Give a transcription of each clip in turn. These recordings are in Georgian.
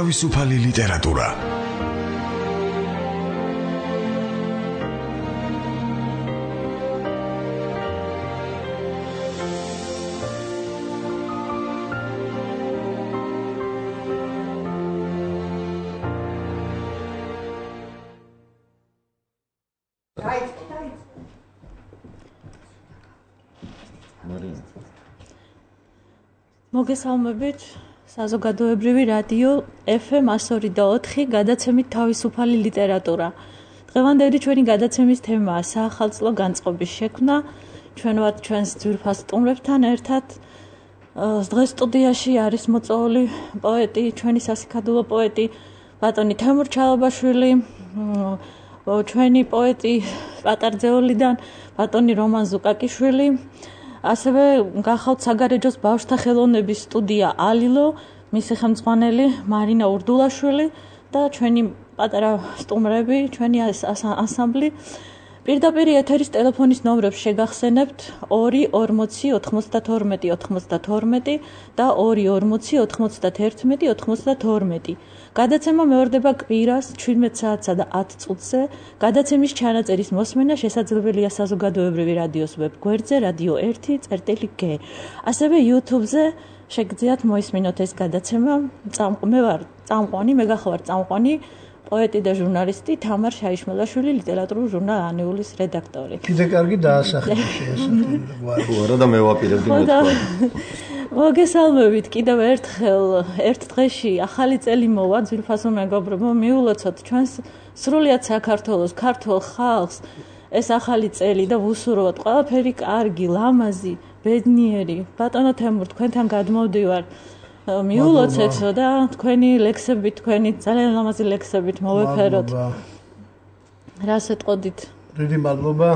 თავისუფალი ლიტერატურა. მოგესალმებით საზოგადოებრივი რადიო FM 102.4 გადაცემით თავისუფალი ლიტერატურა. დღევანდელი ჩვენი გადაცემის თემაა საახალწლო განწყობის შექმნა. ჩვენ ვართ ჩვენს ძვირფას სტუმრებთან ერთად. დღეს სტუდიაში არის მოწვეული პოეტი, ჩვენი სასიქადულო პოეტი ბატონი თემურ ჩალაბაშვილი, ჩვენი პოეტი პატარძეოლიდან ბატონი რომან ზუკაკიშვილი. ასევე გახავთ საგარეჯოს ბავშვთა ხელოვნების სტუდია ალილო, მისი ხელმძღვანელი მარინა ურდულაშვილი და ჩვენი პატარა სტუმრები, ჩვენი ანსამბლი. პირდაპირ ეთერის ტელეფონის ნომრებს შეგახსენებთ 2-40-92-92 და 2-40-91-92. გადაცემა მეორდება კვირას 17 საათსა და 10 წუთზე. გადაცემის ჩანაწერის მოსმენა შესაძლებელია საზოგადოებრივი რადიოს ვებ გვერდზე Radio 1.g. ასევე YouTube-ზე შეგძლიათ მოისმინოთ ეს გადაცემა. მე ვარ წამყვანი, მე გახლავართ წამყვანი პოეტი და ჟურნალისტი თამარ შაიშმელაშვილი, ლიტერატურულ ჟურნალ ანეულის რედაქტორი. კიდე კარგი დაასახელე ხო არა და მე ვაპირებდი მეთქვა. მოგესალმებით კიდევ ერთხელ ერთ დღეში ახალი წელი მოვა ძვირფასო მეგობრებო, მიულოცოთ ჩვენს სრულიად საქართველოს ქართულ ხალხს ეს ახალი წელი და ვუსურვოთ ყველაფერი კარგი, ლამაზი, ბედნიერი. ბატონო თემურ, თქვენთან გადმოვდივარ. მიულოცეთ და თქვენი ლექსებით, თქვენი ძალიან ლამაზი ლექსებით მოვეფეროთ. რას ეტყოდით? დიდი მადლობა.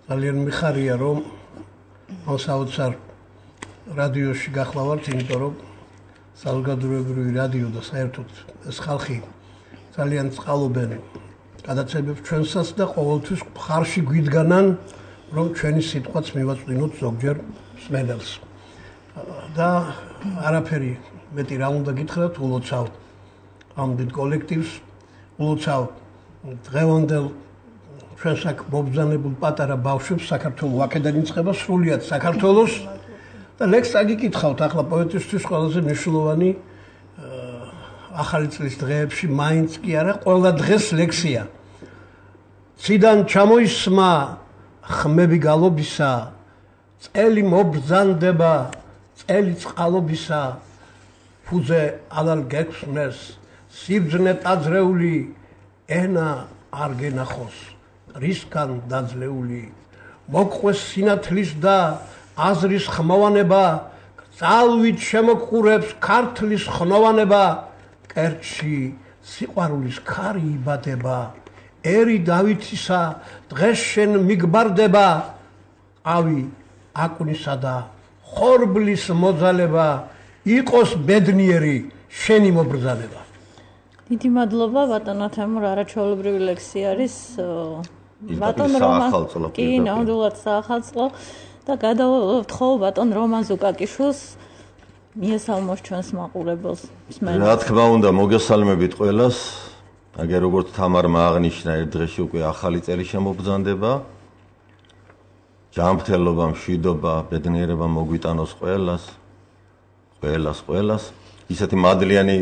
ძალიან მიხარია რომ საოცარ რადიოში გახლავართ, იმიტომ რომ საზოგადოებრივი რადიო და საერთოდ ეს ხალხი ძალიან წყალობენ გადაცემებს ჩვენსაც და ყოველთვის მხარში გვიდგანან, რომ ჩვენი სიტყვაც მივაწვდინოთ ზოგჯერ მსმენელს. და არაფერი მეტი რა უნდა გითხრათ, ულოცავ ამ დიდ კოლექტივს, ულოცავ დღევანდელ ჩვენს აქ მობრძანებულ პატარა ბავშვებს საქართველოს აქედან იწყება სრულიად საქართველოს და ლექს აგიკითხავთ ახლა პოეტისთვის ყველაზე მნიშვნელოვანი ახალი წლის დღეებში მაინც კი არა, ყველა დღეს ლექსია. ციდან ჩამოისმა ხმები გალობისა, წელი მობრძანდება წელი წყალობისა, ფუძე ალალ გექვსნეს, სიბძნე ტაძრეული, ენა არ გენახოს, რისგან დაძლეული, მოგყვეს სინათლის და აზრის ხმოვანება, ძალვით შემოგყურებს ქართლის ხნოვანება, კერჩი სიყვარულის ქარი იბადება, ერი დავითისა დღეს შენ მიგბარდება, ყავი აკვნისა და ხორბლის მოძალება, იყოს ბედნიერი შენი მობრძანება. დიდი მადლობა ბატონო თემურ, არაჩვეულებრივი ლექსი არის. ბატონ რომან კი ნამდვილად საახალწლო და გადავთხოვ ბატონ რომან ზუკაკიშვილს მიესალმოს ჩვენს მაყურებელს. რა თქმა უნდა, მოგესალმებით ყველას. აგერ როგორც თამარმა აღნიშნა, ერთ დღეში უკვე ახალი წელი შემობრძანდება. ჯანმრთელობა, მშვიდობა, ბედნიერება მოგვიტანოს ყველას. ისეთი მადლიანი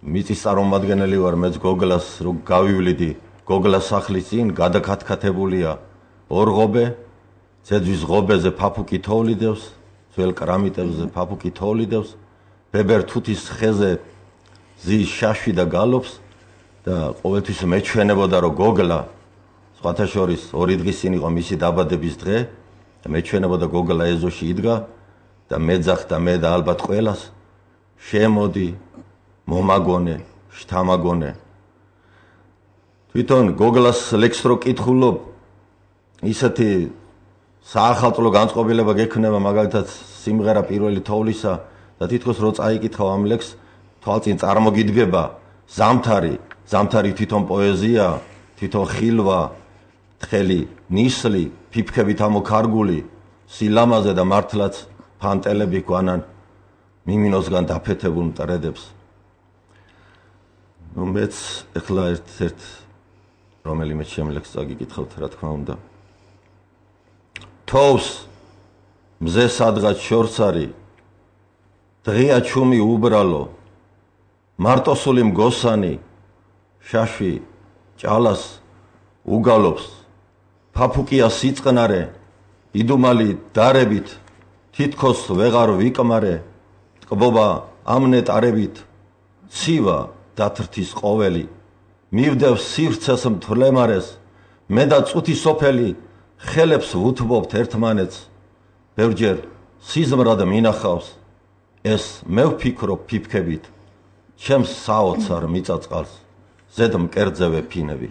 მიწის წარმომადგენელი ვარ, მეც გოგლას რო გავივლიდი, გოგლას სახლის წინ გადაკათკათებულია ორღობე, ძეძვის ღობეზე ფაფუკი თოვლიდევს, ძველ კრამიტებზე ფაფუკი თოვლიდევს, ბებერ თუთის ხეზე ზის შაშვი და გალობს და ყოველთვის მეჩვენებოდა რომ გოგლა სხვათა შორის ორი დღის წინ იყო მისი დაბადების დღე და მეჩვენებოდა გოგლა ეზოში იდგა და მეძახდა მე და ალბათ ყველას შემოდი მომაგონე შთამაგონე. თვითონ გოგლას ლექსს რო კითხულობ, ისეთი საახალწლო განწყობილება გექნება, მაგალითად სიმღერა პირველი თოვლისა და თითქოს რო წაიკითხავ ამ ლექსს, თვალწინ წარმოგიდგება ზამთარი თვითონ პოეზია, თვითონ ხილვა, თხელი ნისლი, ფიფქებით ამოქარგული, სილამაზე და მართლაც ფანტელები გვანან მიმინოსგან დაფეთებულ მტრედებს. მეც ეხლა ერთ რომელიმე შემლექს წაგიკითხავთ, რა თქმა უნდა. თოვს მზე სადღაც შორს არის, დღეა ჩუმი უბრალო, მარტოსული მგოსანი, შაშვი ჭალას უგალობს, ფაფუკია სიწყნარე, იდუმალი დარებით, თითქოს ვეღარ ვიკმარე, ტკბობა ამნეტარებით, ცივა დათრთის ყოველი, მივდევს სივრცეს მთლემარეს, მე და წუთი სოფელი, ხელებს ვუთბობთ ერთმანეთს, ბევრჯერ სიზმრად მინახავს, ეს მე ვფიქრობ ფიფქებით, ჩემს საოცარ მიწაწყალს, ზედ მკერძევე ფინები.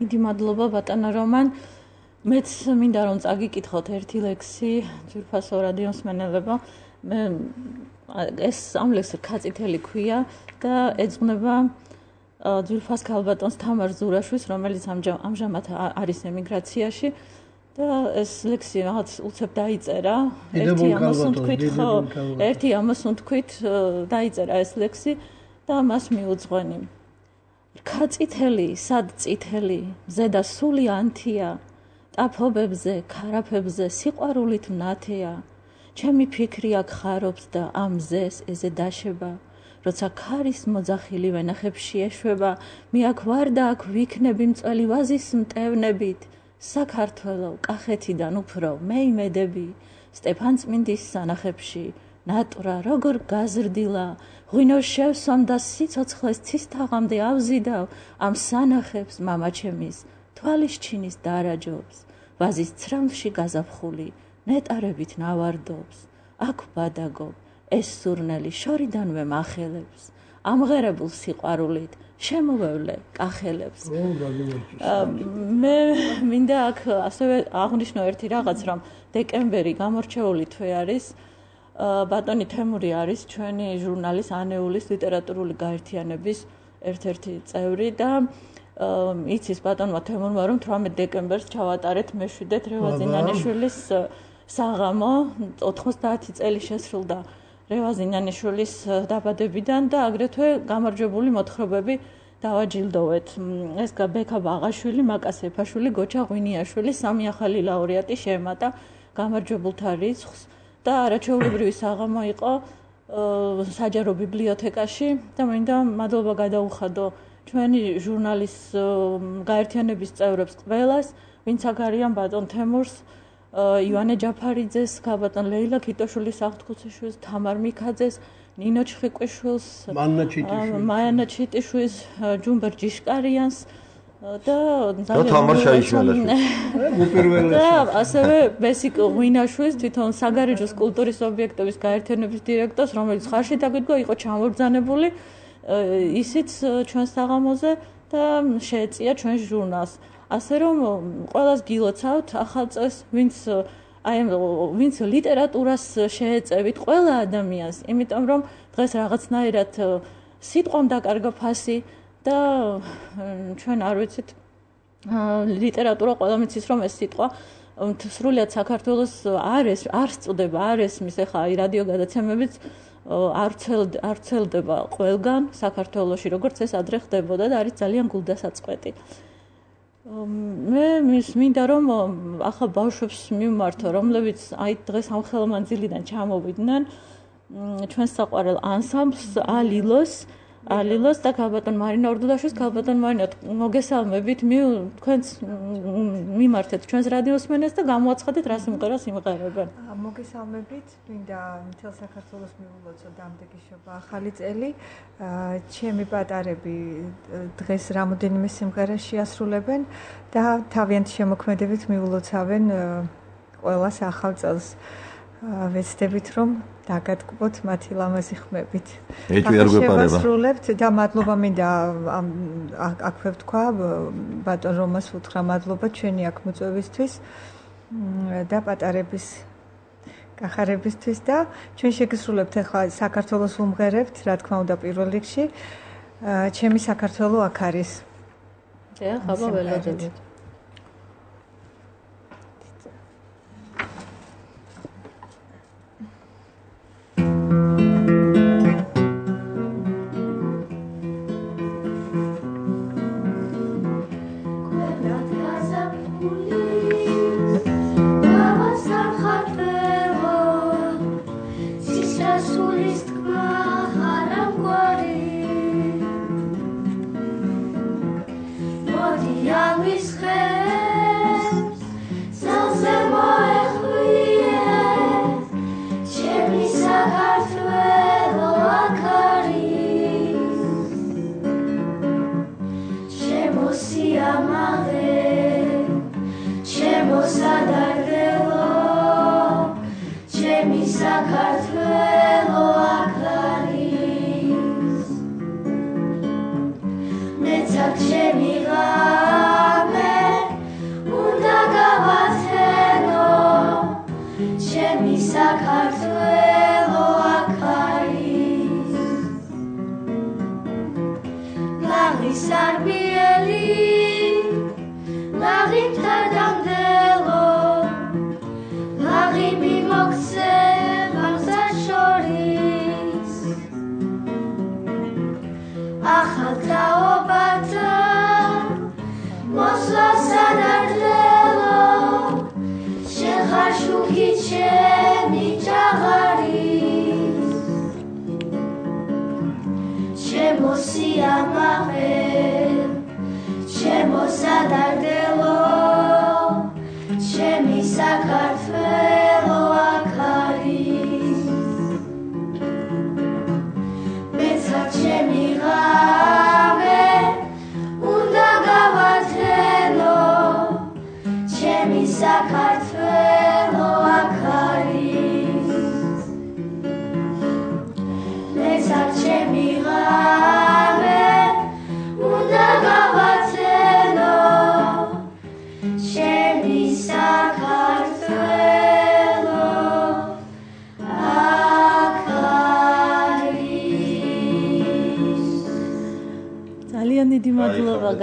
დიდი მადლობა ბატონო რომან. მეც მინდა რომ წაგიკითხოთ ერთი ლექსი ძვირფასო რადიოს მსმენელებო. ეს ამ ლექსს რქაწითელი ქვია და ეძღვნება ძვირფას ქალბატონს თამარ ზურაშვილს, რომელიც ამჟამად არის ემიგრაციაში და ეს ლექსი რაღაც უცებ დაიწერა. ერთი ამას უთქვით დაიწერა ეს ლექსი და მას მიუძღვენი. რქაწითელი, სად წითელი, ზედა სული ანთია, ტაფობებზე, ქარაფებზე სიყვარულით მნათია. ჩემი ფიქრი აქ ხარობს და ამ მზეს ეზე დაშება. როცა ქარის მოძახილი ვენახებში ეშვება, მე აქ ვარ და აქ ვიქნები მწველი ვაზის მტევნებით. საქართველო, კახეთიდან უფრო მე იმედები, სტეფანწმინდის სანახებში, ნატურა როგორ გაზრდილა, ღვინო შევსვამ და სიცოცხლეს ცისთაღამდე ავზიდავ, ამ სანახებს მამაჩემის თვალის ჩინის დარაჯობს, ვაზის ცრამლში გაზაფხული ნეტარებით ნავარდობს, აქ ვბადაგობ, ეს სურნელი შორიდანვე მახელებს, ამღერებულ სიყვარულით შემოვევლე კახელებს. მე მინდა აქ ასევე აღვნიშნო ერთი რაღაც, რომ დეკემბერი გამორჩეული თვე არის. ბატონი თემური არის ჩვენი ჟურნალის ანეულის ლიტერატურული გაერთიანების ერთ-ერთი წევრი და იცის ბატონმა თემურმა რომ 18 დეკემბერს ჩავატარეთ მეშვიდეთ რევაზინანიშვილის საღამო 90 წელი შესრულდა რევაზინანიშვილის დაბადებიდან და აგრეთვე გამარჯვებული მოთხრობები დავაჯილდოვეთ. ეს ბექა ბაღაშვილი, მაკა სეფაშვილი, გოჩა ღვინიაშვილი, სამი ახალი ლაურეატი შეემატა გამარჯვებულთა რიცხვს და არაჩვეულებრივი საღამო იყო საჯარო ბიბლიოთეკაში და მინდა მადლობა გადაუხადო ჩვენი ჟურნალის გაერთიანების წევრებს ყველას, ვინც აქ არიან ბატონ თემურს, ივანე ჯაფარიძეს, ბატონ ლეილა ქიტოშვილის აღთქუციშვილს, თამარ მიქაძეს, ნინო ჩხიკვიშვილს, მაიანა ჩიტიშვილს, ჯუმბერ ჯიშკარიანს და თამარ შაიშველაშვილს. და ასევე ბესიკ ღვინაშვილს, თვითონ საგარეჯოს კულტურის ობიექტების გაერთიანების დირექტორს, რომელიც ხარში დაგვიდგა, იყო ჩამობრძანებული ისიც ჩვენ საღამოზე და შეეწია ჩვენ ჟურნალს. ასე რომ ყველას გილოცავთ ახალ წელს, ვინც ლიტერატურას შეეწევით ყველა ადამიანს, იმიტომ რომ დღეს რაღაცნაირად სიტყვამ დაკარგა ფასი და ჩვენ არ ვიცით ლიტერატურა ყველა მიცის რომ ეს სიტყვა სრულიად საქართველოს არ სწდება, არ ესმის, ეხლა რადიო გადაცემებიც არ ვრცელდება ყველგან საქართველოში, როგორც ეს ადრე ხდებოდა და არის ძალიან გულდასაწყვეტი. მე მინდა რომ ახლა ბავშვებს მივმართო, რომლებიც აი დღეს ამ ხელმანძილიდან ჩამოვიდნენ ჩვენს საყვარელ ანსამბლს ალილოს და ქალბატონ მარინა ორდუდაშვილს. ქალბატონ მარინა, მოგესალმებით, თქვენს მიმართეთ ჩვენს რადიოს მსმენელს და გამოაცხადეთ რა სიმღერას იმღერებენ. მოგესალმებით, მინდა მთელ საქართველოს მიულოცო დამდეგიშობა ახალი წელი. ჩემი პატარები დღეს რამოდენიმე სიმღერას შეასრულებენ და თავიანთი შემოქმედებით მიულოცავენ ყველას ახალ წელს. ვეცდებით რომ დაგატკბოთ მათი ლამაზი ხმებით. შევასრულებთ და მადლობა მინდა აქვე ვთქვა ბატონ რომას უთხრა მადლობა ჩვენი აქ მოწვევისთვის და პატარების კახარებისთვის და ჩვენ შეგისრულებთ ახლა საქართველოს უმღერებთ, რა თქმა უნდა პირველ რიგში ჩემი საქართველო აქ არის. ხაბა ველოდებით.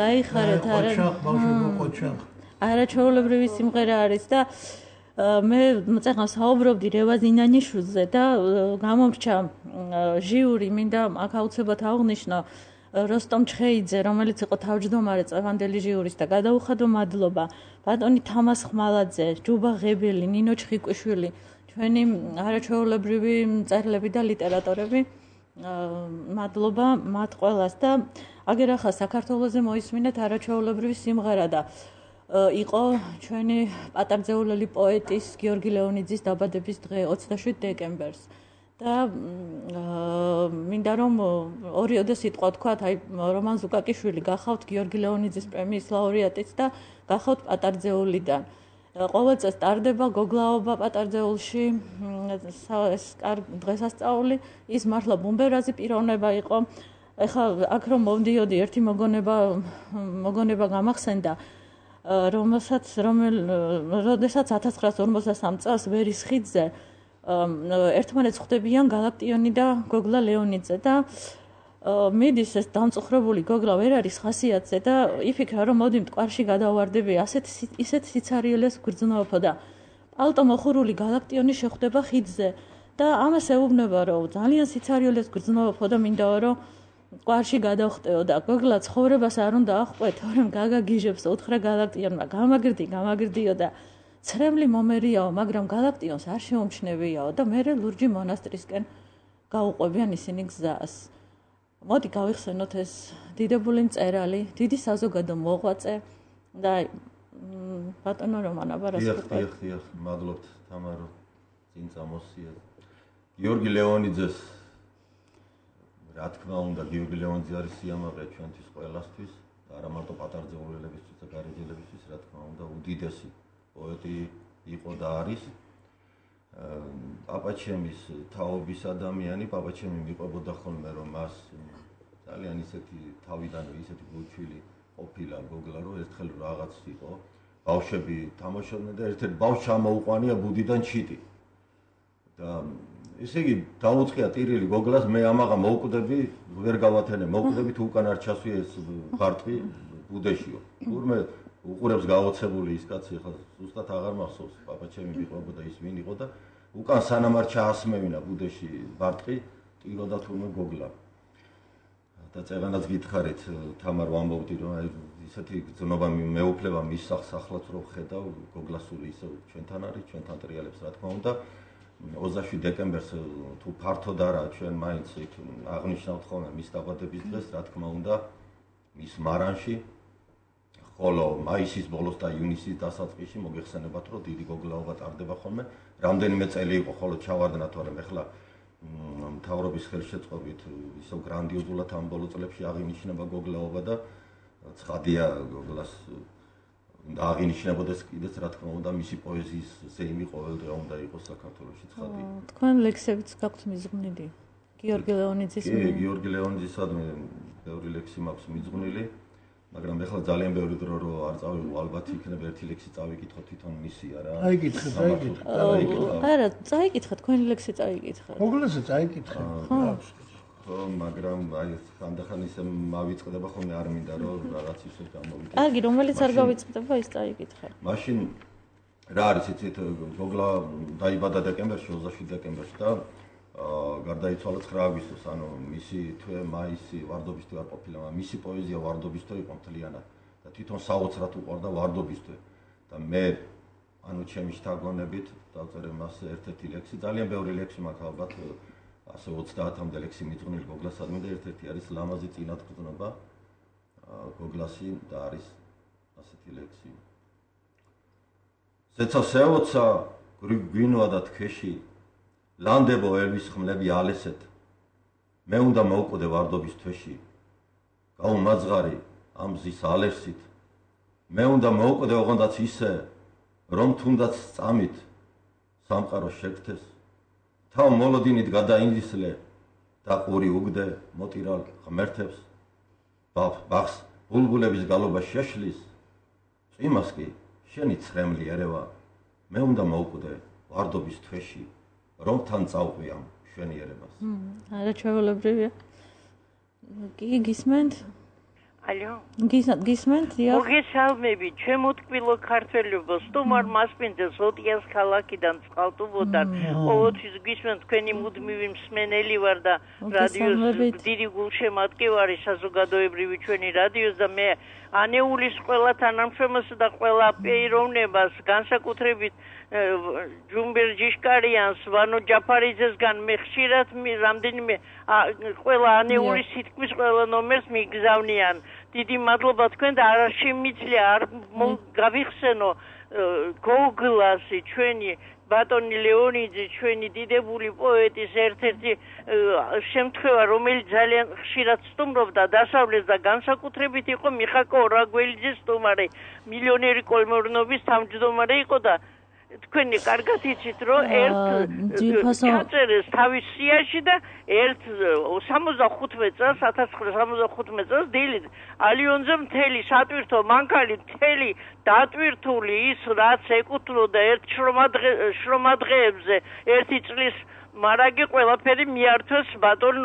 გაიხარეთ არაჩვეულებრივი სიმღერა არის და მე წეგან საუბრობდი რევაზ ინანიშვილზე და გამომრჩა ჟიური მინდა აქ აუცილებლად აღვნიშნო როსტომ ჩხეიძე რომელიც იყო თავმჯდომარე წევანდელი ჟიურის და გადაუხადო მადლობა ბატონი თამას ხმალაძე ჯუბა ღებელი ნინო ჩხიკვიშვილი ჩვენი არაჩვეულებრივი მწერლები და ლიტერატორები მადლობა მათ ყველას და აგერ ახლა საქართველოზე მოისმინეთ არაჩვეულებრივი სიმღერა და იყო ჩვენი პატარძეულელი პოეტის გიორგი ლეონიძის დაბადების დღე 27 დეკემბერს და მინდა რომ ორიოდე სიტყვა თქვათ აი რომან ზუკაკიშვილი გახავთ გიორგი ლეონიძის პრემიის ლაურეატიც და გახავთ პატარძეულიდან ყოველ წელს ტარდება გოგლაობა პატარძეულში ეს დღესასწაული ის მართლა ბუმბერაზი პიროვნება იყო ეხლა აქ რომ მომდიოდი ერთი მოგონება გამახსენდა რომელსაც 1953 წელს ვერის ხიდზე ერთმანეთს ხვდებიან გალაქტიონი და გოგლა ლეონიძე და მიდის ეს დამწუხრებული გოგლა ვერ არის ხასიათზე და იფიქრა რომ მოდი მტკვარში გადავარდები ისეთ სიცარიელეს გრძნობო და პალტო მოხურული გალაქტიონი შეხვდება ხიდზე და ამას ეუბნება რომ ძალიან სიცარიელეს გრძნობო და მინდაო რომ ყვარში გადავხტეო და გოგლა ცხოვრებას არ უნდა აღყვეთო რომ გაგაგიჟებს უთხრა გალაქტიონმა გამაგრდიო და ცრემლი მომერიაო მაგრამ გალაქტიონს არ შეუმჩნევიაო და მე ლურჯი მონასტრისკენ გაუყვებიან ისინი გზას მოდი გავიხსენოთ ეს დიდებული მწერალი დიდი საზოგადო მოღვაწე და ბატონო რომან აბარასკუყვეთ დიახ მადლობთ თამარო წინ წამოსია გიორგი ლეონიძეს რა თქმა უნდა გიორგი ლეონიძე არის სიამაყე ჩვენთვის ყველასთვის და არა მარტო პატარძეულებისთვის და გარეჯელებისთვის რა თქმა უნდა უდიდესი პოეტი იყო და არის პაპაჩემის თაობის ადამიანი პაპაჩემი მიყვებოდა ხოლმე რომ მას ძალიან ისეთი თავიდანვე ისეთი გულჩვილი ყოფილა გოგლა რომ ერთხელ რაღაც იყო ბავშვები თამაშობდნენ და ერთ-ერთ ბავშვს ჩამოუყვანია ბუდიდან ჩიტი და ესე იგი დაუწყია ტირილი გოგლას მე ამაღა მოვკვდები ვერ გავათენე მოვკვდები თუ უკან არ ჩასვია ეს ბარტყი ბუდეშიო თურმე უყურებს გაოცებული ის კაცი ხა ზუსტად აღარ მახსოვს პაპაჩემი მიყვებოდა ის ვინ იყო და უკან სანამ არ ჩაასმევინა ბუდეში ბარტყი ტიროდა თურმე გოგლა და წეგანაც გითხარით თამარ ვამბობდი რომ აი ისეთი გზნობა მეუფლება მის სახლაც რო ხედავ გოგლასული ისე ჩვენთან არის ჩვენთან ტრიალებს რა თქმა უნდა 27 დეკემბერს თუ ფართოდ არა ჩვენ მაინც იქ აღნიშნავთ ხოლმე მის დაბადების დღეს რა თქმა უნდა მის მარანში ხოლო მაისის ბოლოს და ივნისის დასაწყისში მოგეხსენებათ, რომ დიდი გოგლაობა ტარდება ხოლმე. რამდენიმე წელი იყო, ხოლო ჩავარდნა, თორემ ეხლა მთავრობის ხელშეწყობით ისო გრანდიოზულად ამ ბოლო წლებში აღინიშნება გოგლაობა და ცხადია გოგლას და აღინიშნებოდეს კიდეც რა თქმა უნდა მისი პოეზიის ზეიმი ყოველდღე უნდა იყოს საქართველოში ცხადი. თქვენ ლექსებიც გაქვთ მიზღვნილი? გიორგი ლეონიძის. კი, გიორგი ლეონიძისადმი ბევრი ლექსი მაქვს მიზღვნილი, მაგრამ ეხლა ძალიან ბევრი დრო რო არ წავიღო, ალბათ იქნება ერთი ლექსი წავიკითხო თვითონ მისია რა. წაიკითხე. არა, წაიკითხე, თქვენი ლექსი წაიკითხე. მოგლეზე წაიკითხე. ხო, მაგრამ აი ხანდახან ისე მავიწყდება ხოლმე არ მინდა რომ რაღაც ისე გამოვიდე. კარგი, რომელიც არ გავიწყდება, ის წაიკითხე. მაშინ რა არის იცით, გოგლა დაიბადა დეკემბერში, 27 დეკემბერში და გარდაიცვალა 9 აგვისტოს, ანუ მისი თვე მაისი ვარდობის თვე არ ყოფილა, მაგრამ მისი პოეზია ვარდობის თვე იყო მთლიანად და თვითონ საოცრად უყვარდა ვარდობის თვე და მე ანუ ჩემი შთაგონებით დავწერე მას ერთ-ერთი ლექსი, ძალიან ბევრი ლექსი მაქვს ალბათ, ასე 30-მდე ლექსი მიწვნილი გოგლასადმი და ერთ-ერთი არის ლამაზი წინათგზნობა გოგლასი და არის ასეთი ლექსი. ზეცა სეოცა გვინვა და თქეში ლანდებო ერვის ხმლები ალესეთ, მე უნდა მოვკვდე ვარდობის თვეში, გაუმაძღარი ამ მზის ალერსით, მე უნდა მოვკვდე ოღონდაც ისე, რომ თუნდაც წამით სამყარო შეგთეს, თავ მოლოდინით გადაინდისლე და ყური უგდე მოტირალ ღმერთებს, ბახს ბულბულების გალობა შეშლის, წვიმას კი შენი ცხრემლი ერევა, მე უნდა მოვკვდე ვარდობის თვეში, რომ თან წავყვი ამ შვენიერებას. არა ჩვეულებრივია. კი გისმენთ? ალო. გისმენთ? დიახ. მოგესალმებით, ჩემო ტკბილო ქართველებო, სტუმარ მასპინძელს ოტიას ქალაქიდან წყალტუბოდან. ყოველთვის გისმენთ, თქვენი მუდმივი მსმენელი ვარ და რადიოს დიდი გულშემატკივარი საზოგადოებრივი ჩვენი რადიოს და მე ანეულის ყველა თანამშრომელს და ყველა პიროვნებას განსაკუთრებით ჯუმბერ ჯიშკარიანს, ვანო ჯაფარიძესგან მე ხშირად რამდენიმე ყველა ანეულის სიტყვის ყველა ნომერს მიგზავნიან. დიდი მადლობა თქვენ და არ შემიძლია არ გავიხსენო გოგლასი ჩვენი ბატონი ლეონიძე ჩვენი დიდებული პოეტის ერთ-ერთი შემთხვევა, რომელიც ძალიან ხშირად სტუმრობდა დასავლეთს და განსაკუთრებით იყო მიხაკო ორაგველიძის სტუმარი, მილიონერი კოლმეურნობის თავმჯდომარე იყო და თქვენი კარგად იცით, რომ ჩაწერეს თავის სიაში და 75 წელს 1975 წელს დილით ალიონზე მთელი სატვირთო მანქანი მთელი დატვირთული ის რაც ეკუთვნოდა ერთ შრომადღეებზე ერთი წლის მარაგი ყველაფერი მიართვეს ბატონ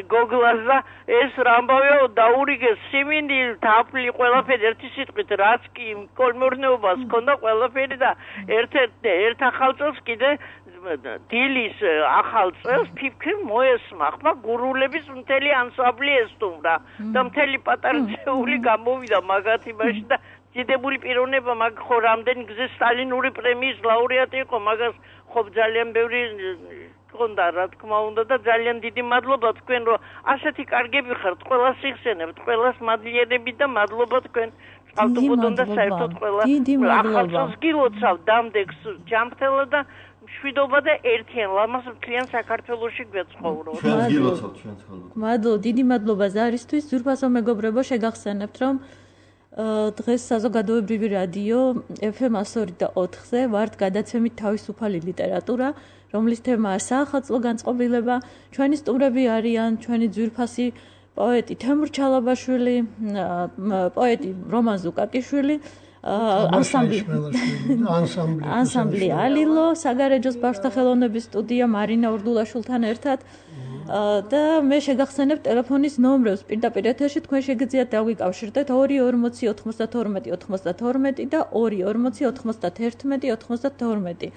გოგლას და ეს რამბავე დაურიგეს სიმინდი თაფლი ყველაფერი ერთი სიტყვით რაც კი კოლმეურნეობას ჰქონდა ყველაფერი და ერთ ახალ წელს კიდე დილის ახალ წელს ფიფქრი მოესმა ხმა გურულების მთელი ანსამბლი ესტუმრა და მთელი პატარა წეული გამოვიდა მაგათ იმაში და დიდებული პიროვნება მაგ ხო რამდენი გზის სტალინური პრემიის ლაურეატი იყო მაგას ხო ძალიან ბევრი გონდა რა თქმა უნდა და ძალიან დიდი მადლობა თქვენ რომ ასეთი კარგები ხართ ყველას იხსენებთ ყველას მადლიერებით და მადლობა თქვენ ავტობოდონ და საერთოდ ყველა ახალწელს გილოცავ დამდეგს ჯამრთელა და მშვიდობა და ერთიან ლამაზ მთლიან საქართველოში გვეცხოვროთ. ჩვენს გილოცავთ ჩვენს ხოლმე. მადლობა, დიდი მადლობა ზარისთვის. ძვირფასო მეგობრებო, შეგახსენებთ რომ დღეს საზოგადოებრივი რადიო FM 102.4-ზე ვართ გადაცემით თავისუფალი ლიტერატურა, რომლის თემაა საახალწლო განწყობილება. ჩვენი სტუმრები არიან ჩვენი ძვირფასი პოეტი თემურ ჩალაბაშვილი, პოეტი რომან ზუკაკიშვილი, ანსამბლი ალილო, საგარეჯოს ბავშვთა ხელოვნების სტუდია მარინა ურდულაშვილთან ერთად. და მე შეგახსენებ ტელეფონის ნომრებს პირდაპირ ეთერში თქვენ შეგიძლიათ დავიკავშირდეთ 240-92-92 და 240-91-92.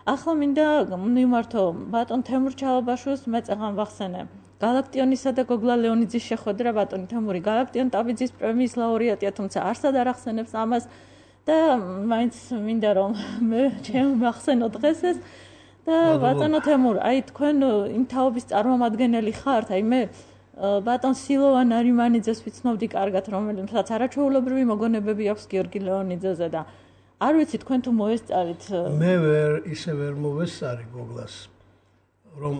ახლა მინდა მიმართო ბატონ თემურ ჩალაბაშვილს მე წაღან ვახსენე გალაქტიონისა და გოგლა ლეონიძის შეხვედრა ბატონი თემური გალაქტიონ ტაბიძის პრემიის ლაურეატია, თუმცა არსად არ ახსენებს ამას და მაინც მინდა რომ მე ჩემ ვახსენო დღეს ეს და ბატონო თემურ, აი თქვენ იმ თაობის წარმომადგენელი ხართ, აი მე ბატონ სილოვან არიმანიძეს ვიცნობდი კარგად, რომელსაც არაჩვეულებრივი მოგონებები აქვს გიორგი ლეონიძეზე და არ ვიცი თქვენ თუ მოესწარით. მე ისე ვერ მოვესწარი გოგლას, რომ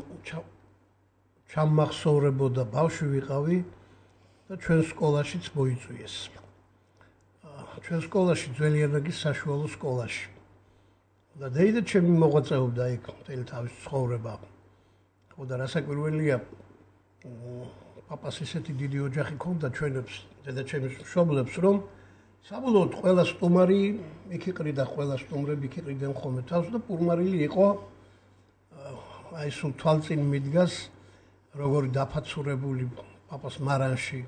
ჩამახსოვრებოდა ბავშვი ვიყავი და ჩვენ სკოლაშიც მოიწვიეს. ჩვენ სკოლაში ძველიანაგის საშუალო სკოლაში. და დეიდა ჩემი მოღვაწეობდა იქ მთელი თავის ცხოვრება. ხო და რასაკვირველია, პაპას ისეთი დიდი ოჯახი ჰქონდა ჩვენებს, დედაჩემის მშობლებს, რომ საბოლოოდ ყველა სტუმარი იქ იყრიდა, ყველა სტუმრები იქ იყრიდნენ ხოლმე თავს და პურმარილი იყო აი სულ თვალწინ მიდგას როგორი დაფაცურებული პაპას მარანში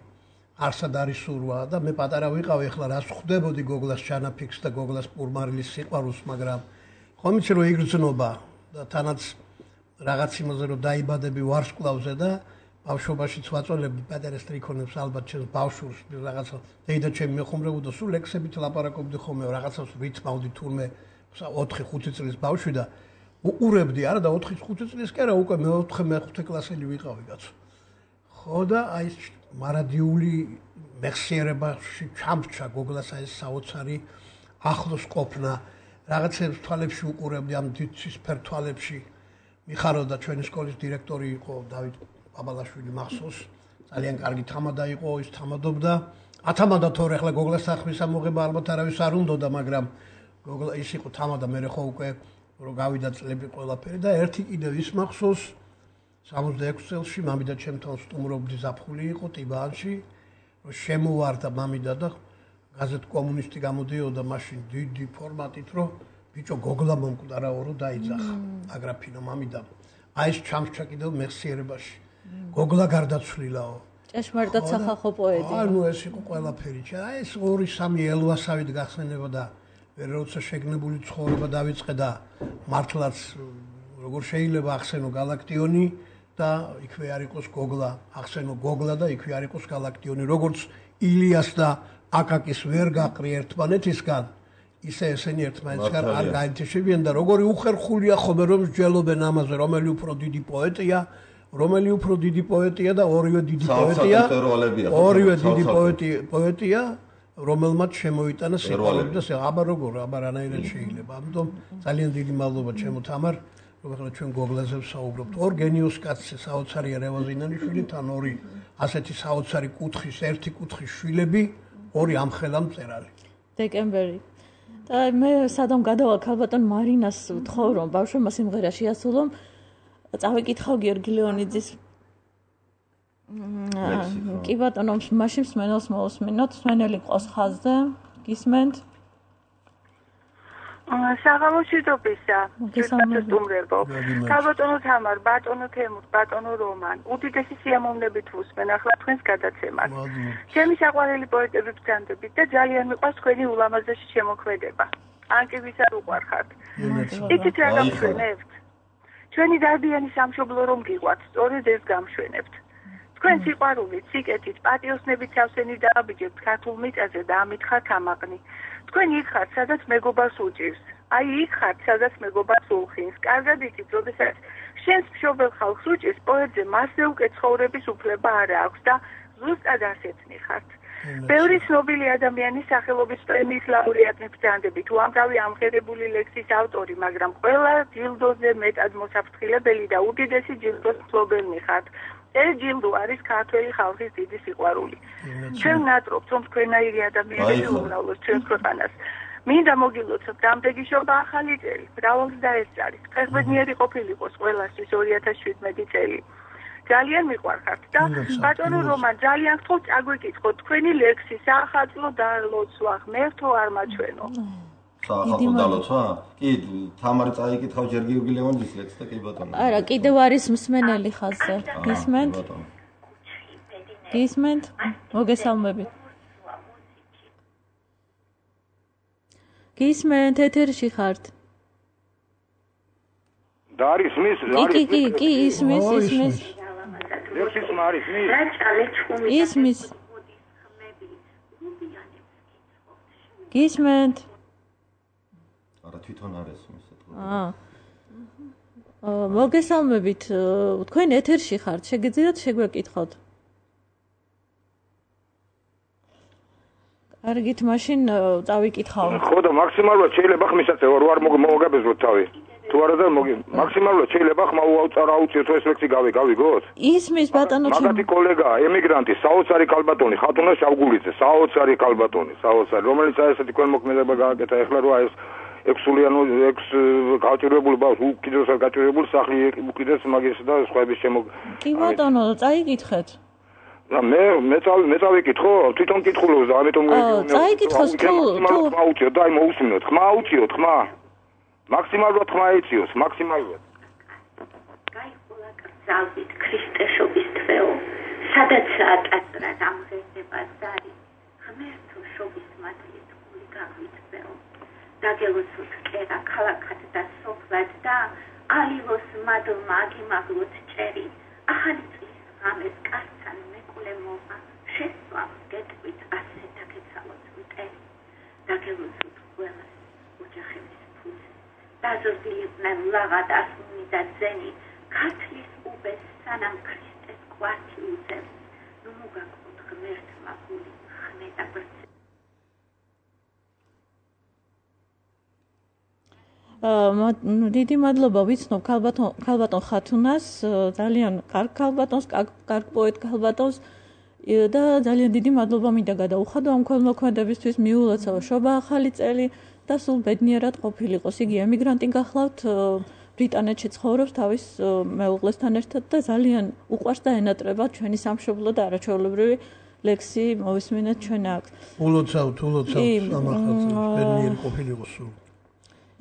არსად არის სურვა და მე პატარა ვიყავი, ახლა რას ხვდებოდი გოგლას ჩანაფიქს და გოგლას პურმარილის სიყვარულს, მაგრამ ხომ იცი რომ იგრძნობა და თანაც რაღაც იმაზე რომ დაიბადები ვარსკვლავზე და ბავშვობაშიც ვაწოლები პატარა სტრიქონებს ალბათ ჩემს ბავშვს რაღაცა დეიდა ჩემი მეხუმრებოდა სულ ლექსებით ლაპარაკობდი ხოლმე რაღაცას ვითმავდი თურმე 4-5 წლის ბავშვი და უყურებდი არა და 4-5 წლის კი არა უკვე მე-4-მე-5 კლასელი ვიყავი კაცო ხო და აი მარადიული მეხსიერებაში ჩამრჩა გოგლას აი საოცარი ახლოს ყოფნა რაღაცებს თვალებში უყურებდი ამ ცისფერ თვალებში მიხაროდა ჩვენი სკოლის დირექტორი იყო დავით აბალაშვილი მახსოვს ძალიან კარგი თამადა იყო ის თამადობდა ათამადა თორე ახლა გოგლას სახმის ამოღება ალბათ არავის არ უნდოდა მაგრამ გოგლა ის იყო თამადა მე ხო უკვე რომ გავიდა წლები ყველაფერი და ერთი კიდევ ის მახსოვს 66 წელში მამიდა ჩემთან სტუმრობდი ზაფხული იყო ტიბანში რომ შემოვარდა მამიდა და გაზეთ კომუნისტი გამოდიოდა მაშინ დიდი ფორმატით რომ ბიჭო გოგლა მომკვდარაო რომ დაიძახა აგრაფინო მამიდა აი ეს ჩამრჩა კიდევ მეხსიერებაში გოგლა გარდაცვლილაო ჭეშმარიტად სახალხო პოეტი ანუ ეს იყო ყველაფერი აი ეს 2-3 ელვასავით გახსენება და ვერ როცა შეგნებული ცხოვრება დავიწყე და მართლაც როგორ შეიძლება ახსენო galaktioni და იქვე არ იყოს გოგლა ახსენო გოგლა და იქვე არ იყოს galaktioni როგორც ილიას და აკაკის ვერ გაყრი ერთმანეთისგან ისე ესენი ერთმანეთისგან არ გაინტერესებიან და როგორი უხერხულია ხოლმე რომ მსჯელობენ ამაზე რომელი უფრო დიდი პოეტია რომელი უფრო დიდი პოეტია და ორივე დიდი პოეტია ორივე დიდი პოეტია რომელმაც შემოიტანა სიყვარული და აბა როგორ აბა რანაირად შეიძლება ამიტომ ძალიან დიდი მადლობა ჩემო თამარ რომ ახლა ჩვენ გოგლაზე ვსაუბრობთ ორ გენიოს კაცზე საოცარია რევაზინალიშვილი თან ორი ასეთი საოცარი კუთხის ერთი კუთხის შვილები ორი ამხელა მწერალი დეკემბერი და მე სადამ გადავალ ქალბატონ მარინას ვთხოვ რომ ბავშვებმა სიმღერა შეასრულონ წავიკითხავ გიორგი ლეონიძის კი ბატონო მაშინ მსმენელს მოусმინოთ მსმენელი ყავს ხაზზე გისმენთ საღამოშიდობისა გესწრებო ქალბატონო თამარ ბატონო თემურ ბატონო რომან უდიდესი სიამოვნებით ვუსმენ ახლა თქვენს გადაცემას ჩემი საყვარელი პოეტები ბრძანდებით და ძალიან მიყვარს თქვენი ულამაზესი შემოქმედება ან კი ვისა უყვარხართ იცით რა გამშვენებთ ჩვენი დარბიანი სამშობლო რომ გიყვართ სწორედ ეს გამშვენებთ თქვენ სიყვარულით სიკეთით პატიოსნებით სავსენი დააბიჯებთ ქართულ მიწაზე და ამითხართ ამაღნი თქვენ იქ ხართ სადაც მეგობარს უჭირს აი იქ ხართ სადაც მეგობარს უხინს კარგად იცით როდესაც შენს მშობელ ხალხს უჭირს პოეტზე მასზე უკეთ ცხოვრების უფლება არ აქვს და ზუსტად ასეთნი ხართ ბევრი ცნობილი ადამიანის სახელობის პრემიის ლაურეატი ბრძანდებით უამრავი ამღერებული ლექსის ავტორი მაგრამ ყველა ჯილდოზე მეტად მოსაფრთხილებელი და უდიდესი ჯილდოს მფლობელი ხართ ეს ჯილდო არის ქართველი ხალხის დიდი სიყვარული. ჩვენ ნატრობთ რომ თქვენაირი ადამიანები უმრავლოს ჩვენს ქვეყანას. მინდა მოგილოცოთ დამდეგიშობა ახალი წელი, მრავალს დაესწარით. ფეხბედნიერი ყოფილიყოს ყველასთვის 2017 წელი. ძალიან მიყვარხართ და ბატონო რომან ძალიან გთხოვთ წაგვიკითხოთ თქვენი ლექსი სახალხო დალოცვა ღმერთო არ მაჩვენო. სახალხო დალოცვა? კი, თამარი წაიკითხავ ჯერ გიორგი ლეონიძის ლექსს და კი ბატონო. არა, კიდევ არის მსმენელი ხაზზე. გისმენთ? გისმენთ? მოგესალმებით. გისმენთ, ეთერში ხართ. და არის მის, კი, ისმის. ლექსის მარის მის. ისმის. გისმენთ? არა თვითონ არის მისეთქო. მოგესალმებით. თქვენ ეთერში ხართ. შეგიძლიათ შეგვეკითხოთ? კარგით, მაშინ წავიკითხავ. ხო და მაქსიმალურად შეიძლება ხმისაწევა რო არ მოგაგებესოთ თავი. თუ არა და მაქსიმალურად შეიძლება ხმა აუწიოთ ეს ლექსი გავიგოთ? ისმის ბატონო მაგათი კოლეგა, ემიგრანტი, საოცარი ქალბატონი, ხათუნა შავგულიძე, საოცარი ქალბატონი, საოცარი, რომელიც ესეთი კველმოქმედება გააკეთა ეხლა რო ეს ექსულიანო ექს გაჭირებული ბავშვი უკიდურესად გაჭირებული სახლი უკიდეს მაგის და სხვაების შემო კი ბატონო წაიკითხეთ და მე წავიკითხო თვითონ კითხულობს და ამიტომ წაიკითხოს თუ აუწიოთ და აი მოусმინოთ ხმა აუწიოთ ხმა მაქსიმალურად ხმა ეციოს მაქსიმალურად გაიხულა კრძალვით ქრისტეშობის თვეო სადაცაა ტაძრა დამღება ზარი ღმერთო შობის მადლით გული გავითვეო დაგელოსოთ კერა ქალაქად და სოფლად და ალილოს მადლმა აგიმაღლოთ ჭერი ახალი წლის ღამეს კაცთან მეკვლე მოვა შესვავს გეტყვით ასე დაგეცალოთ მტერი დაგელოსოთ ყველას ოჯახების ფუძე დაზრდილიყვნენ ლაღად ასმუნი და ძენი ქართლის უბეს სანამ ქრისტეს კვართი უძებს ნუ მოგაგოთ ღმერთმა გული ხმე და ბრცე დიდი მადლობა ვიცნობ ქალბატონ ხათუნას ძალიან კარგ ქალბატონს კარგ პოეტ ქალბატონს და ძალიან დიდი მადლობა მინდა გადაუხადო ამ ქველმოქმედებისთვის მიულოცავ შობა ახალი წელი და სულ ბედნიერად ყოფილიყოს იგი ემიგრანტი გახლავთ ბრიტანეთში ცხოვრობს თავის მეუღლესთან ერთად და ძალიან უყვარს და ენატრება ჩვენი სამშობლო და არაჩვეულებრივი ლექსი მოვისმინეთ ჩვენ აქ ულოცავთ სამახატს ბედნიერი ყოფილიყოს სულ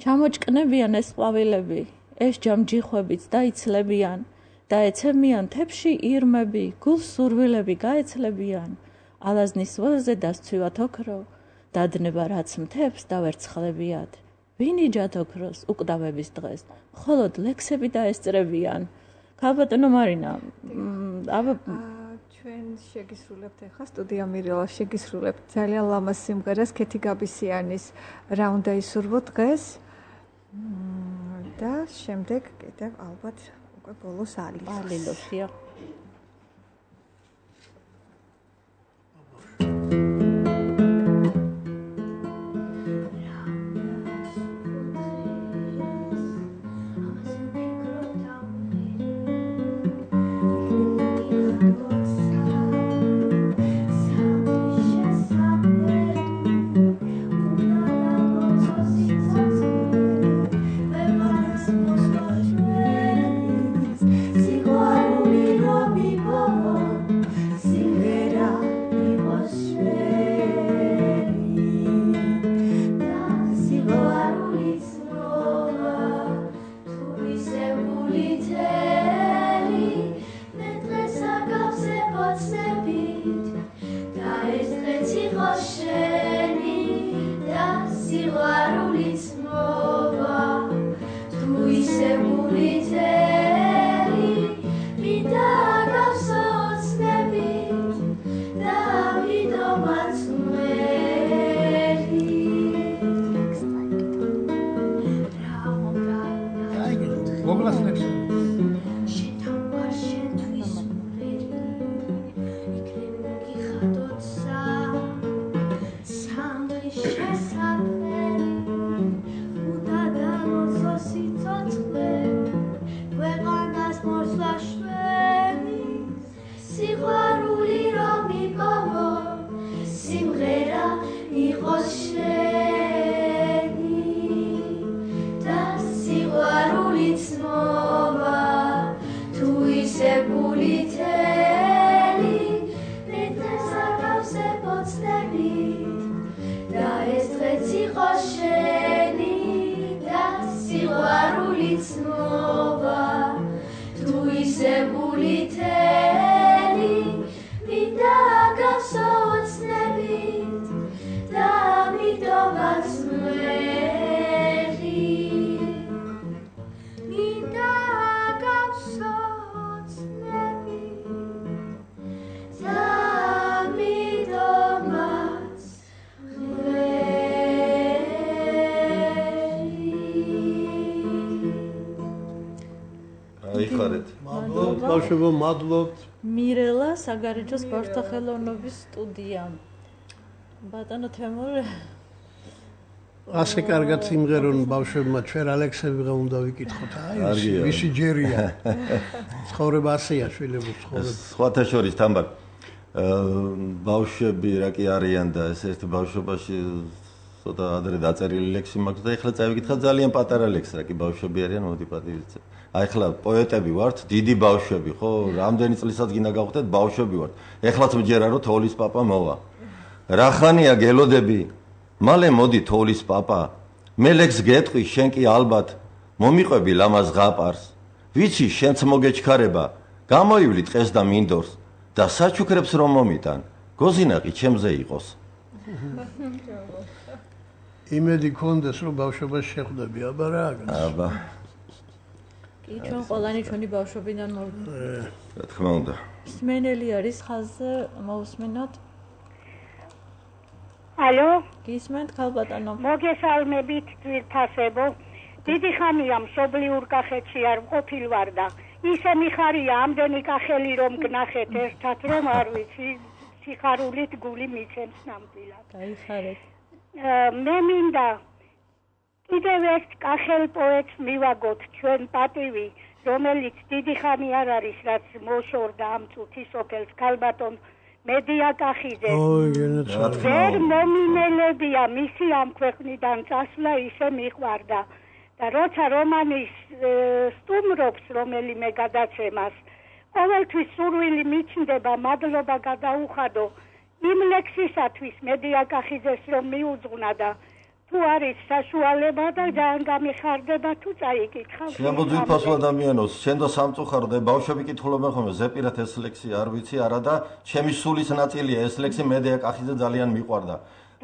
ჩამოჭკნებიან ეს ყვავილები, ეს ჯამჯიხვებიც დაიცლებიან და ეცემიან თებში ირმები, გულს სურვილები გაეცლებიან. ალაზნის ველზე დასცვივათ ოქრო, დადნება რაც მთებს დავერცხლებიათ. ვინიჯათ ოქროს უკვდავების დღეს, მხოლოდ ლექსები დაესწრებიან. ქალბატონო მარინა, ჩვენ შეგისრულებთ ახლა სტუდია მირელა შეგისრულებთ ძალიან ლამაზ სიმღერას ქეთი გაბისიანის რა უნდა ისურვო დღეს და შემდეგ კიდევ ალბათ უკვე ბოლოს ალილოსია მადლობთ მირელა საგარეჯო სპორტსახელოვნების სტუდია ბატონო თემური ასე კარგად სიმღერონ ბავშვებმა ჩვენ ალექსები უნდა ვიკითხოთ. აი, ვისი ჯერია. ცხოვრება ასეა, შვილების ცხოვრება. სხვათა შორის თამარ ბავშვები რა კი არიან და ეს ერთ ბავშვობაში ცოტა ადრე დაწერილი ლექსი მაქვს და ეხლა წავიკითხა ძალიან პატარა ლექსი რა კი ბავშვები არიან მოდი პატივიცე. აი ეხლა პოეტები ვართ, დიდი ბავშვები, ხო? რამდენი წლისაც გინდა გავხდეთ ბავშვები ვართ. ეხლაც მჯერა რომ თოვლის პაპა მოვა. რა ხანია გელოდები? მალე მოდი თოვლის პაპა. მე ლექს გეტყვი, შენ კი ალბათ მომიყვები ლამაზ ღაპარს. ვიცი შენც მოგეჩქარება, გამოივლი ტყეს და მინდორს და საჩუქრებს რომ მომიტან, გოზინაყი ჩემზე იყოს. იმედი კონდეს რომ ბავშვობას შეხვდები, აბა რა? აბა. კი, ჩვენ ყველანი ჩვენი ბავშვობიდან რა თქმა უნდა. სმენელი არის ხაზზე, მოусმენოთ. ალო? გისმენთ ქალბატონო? მოგესალმებით ძვირფასებო. დიდი ხანია მშობლიურ კახეთში არ მყოფილ ვარ და ისე მიხარია ამდენი კახელი რომ გნახეთ ერთად რომ არ ვიცი სიხარულით გული მიცემს ნამდვილად. გაიხარეთ. მე მინდა კიდევ ერთ კახელ პოეტს მივაგოთ ჩვენ პატივი, რომელიც დიდი ხანი არ არის, რაც მოშორდა ამ წუთის სოფელს ქალბატონ მედია კახიძე. ვერ მომინელებია მისი ამ ქვეყნიდან წასვლა ისე მიყვარდა. და როცა რომანის სტუმრობს რომელიმე გადაცემას, ყოველთვის სურვილი მიჩნდება მადლობა გადაუხადო იმ ლექსისათვის მედია კახიძეს რომ მიუძღვნა და თუ არის საშუალება და ძალიან გამიხარდება თუ წაიკითხავ. შემოძვირფასო ადამიანოს, შენ და სამწუხარო და ბავშვები კითხულობენ ხოლმე ზეპირად ეს ლექსი არ ვიცი არა და ჩემი სულის ნაწილია ეს ლექსი მედია კახიძე ძალიან მიყვარდა.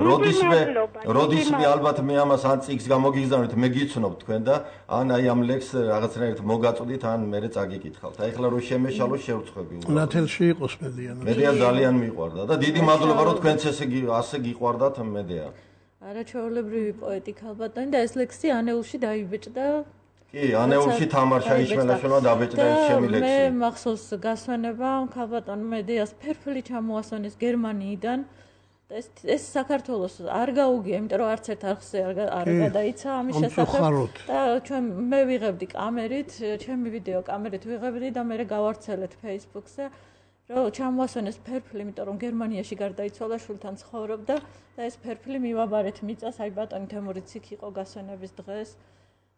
როდისმე ალბათ მე ამას ან წიგს გამოგიგზავნით, მე გიცნობ თქვენ და ან აი ამ ლექს რაღაცნაირად მოგაწვდით, ან მე წაგიკითხავთ. აი ახლა რომ შემეშალო შევწყვები. ნათელში იყოს მედია. მედია ძალიან მიყვარდა და დიდი მადლობა რომ თქვენც ასე გიყვარდათ მედია. არაჩვეულებრივი პოეტი ქალბატონი და ეს ლექსი ანეულში დაიბეჭდა. კი, ანეულში თამარ შაიშველაშვილმა დაბეჭდა ეს ჩემი ლექსი. მე მახსოვს გასვენება ქალბატონ მედიას ფერფლი ჩამოასვენეს გერმანიიდან. ეს საქართველოს არ გაუგია, იმიტომ რომ არც ერთ არხზე არ გადაიცა ამის შესახებ და ჩვენ მე ვიღებდი კამერით, ჩემი ვიდეო კამერით ვიღებდი და მე გავარცელეთ Facebook-ზე, რომ ჩამოასვენეს ფერფლი, იმიტომ რომ გერმანიაში გარდაიცვალა, შულთან ცხოვრობდა და ეს ფერფლი მივაბარეთ მიწას, აი ბატონი თემურიც იქ იყო გასვენების დღეს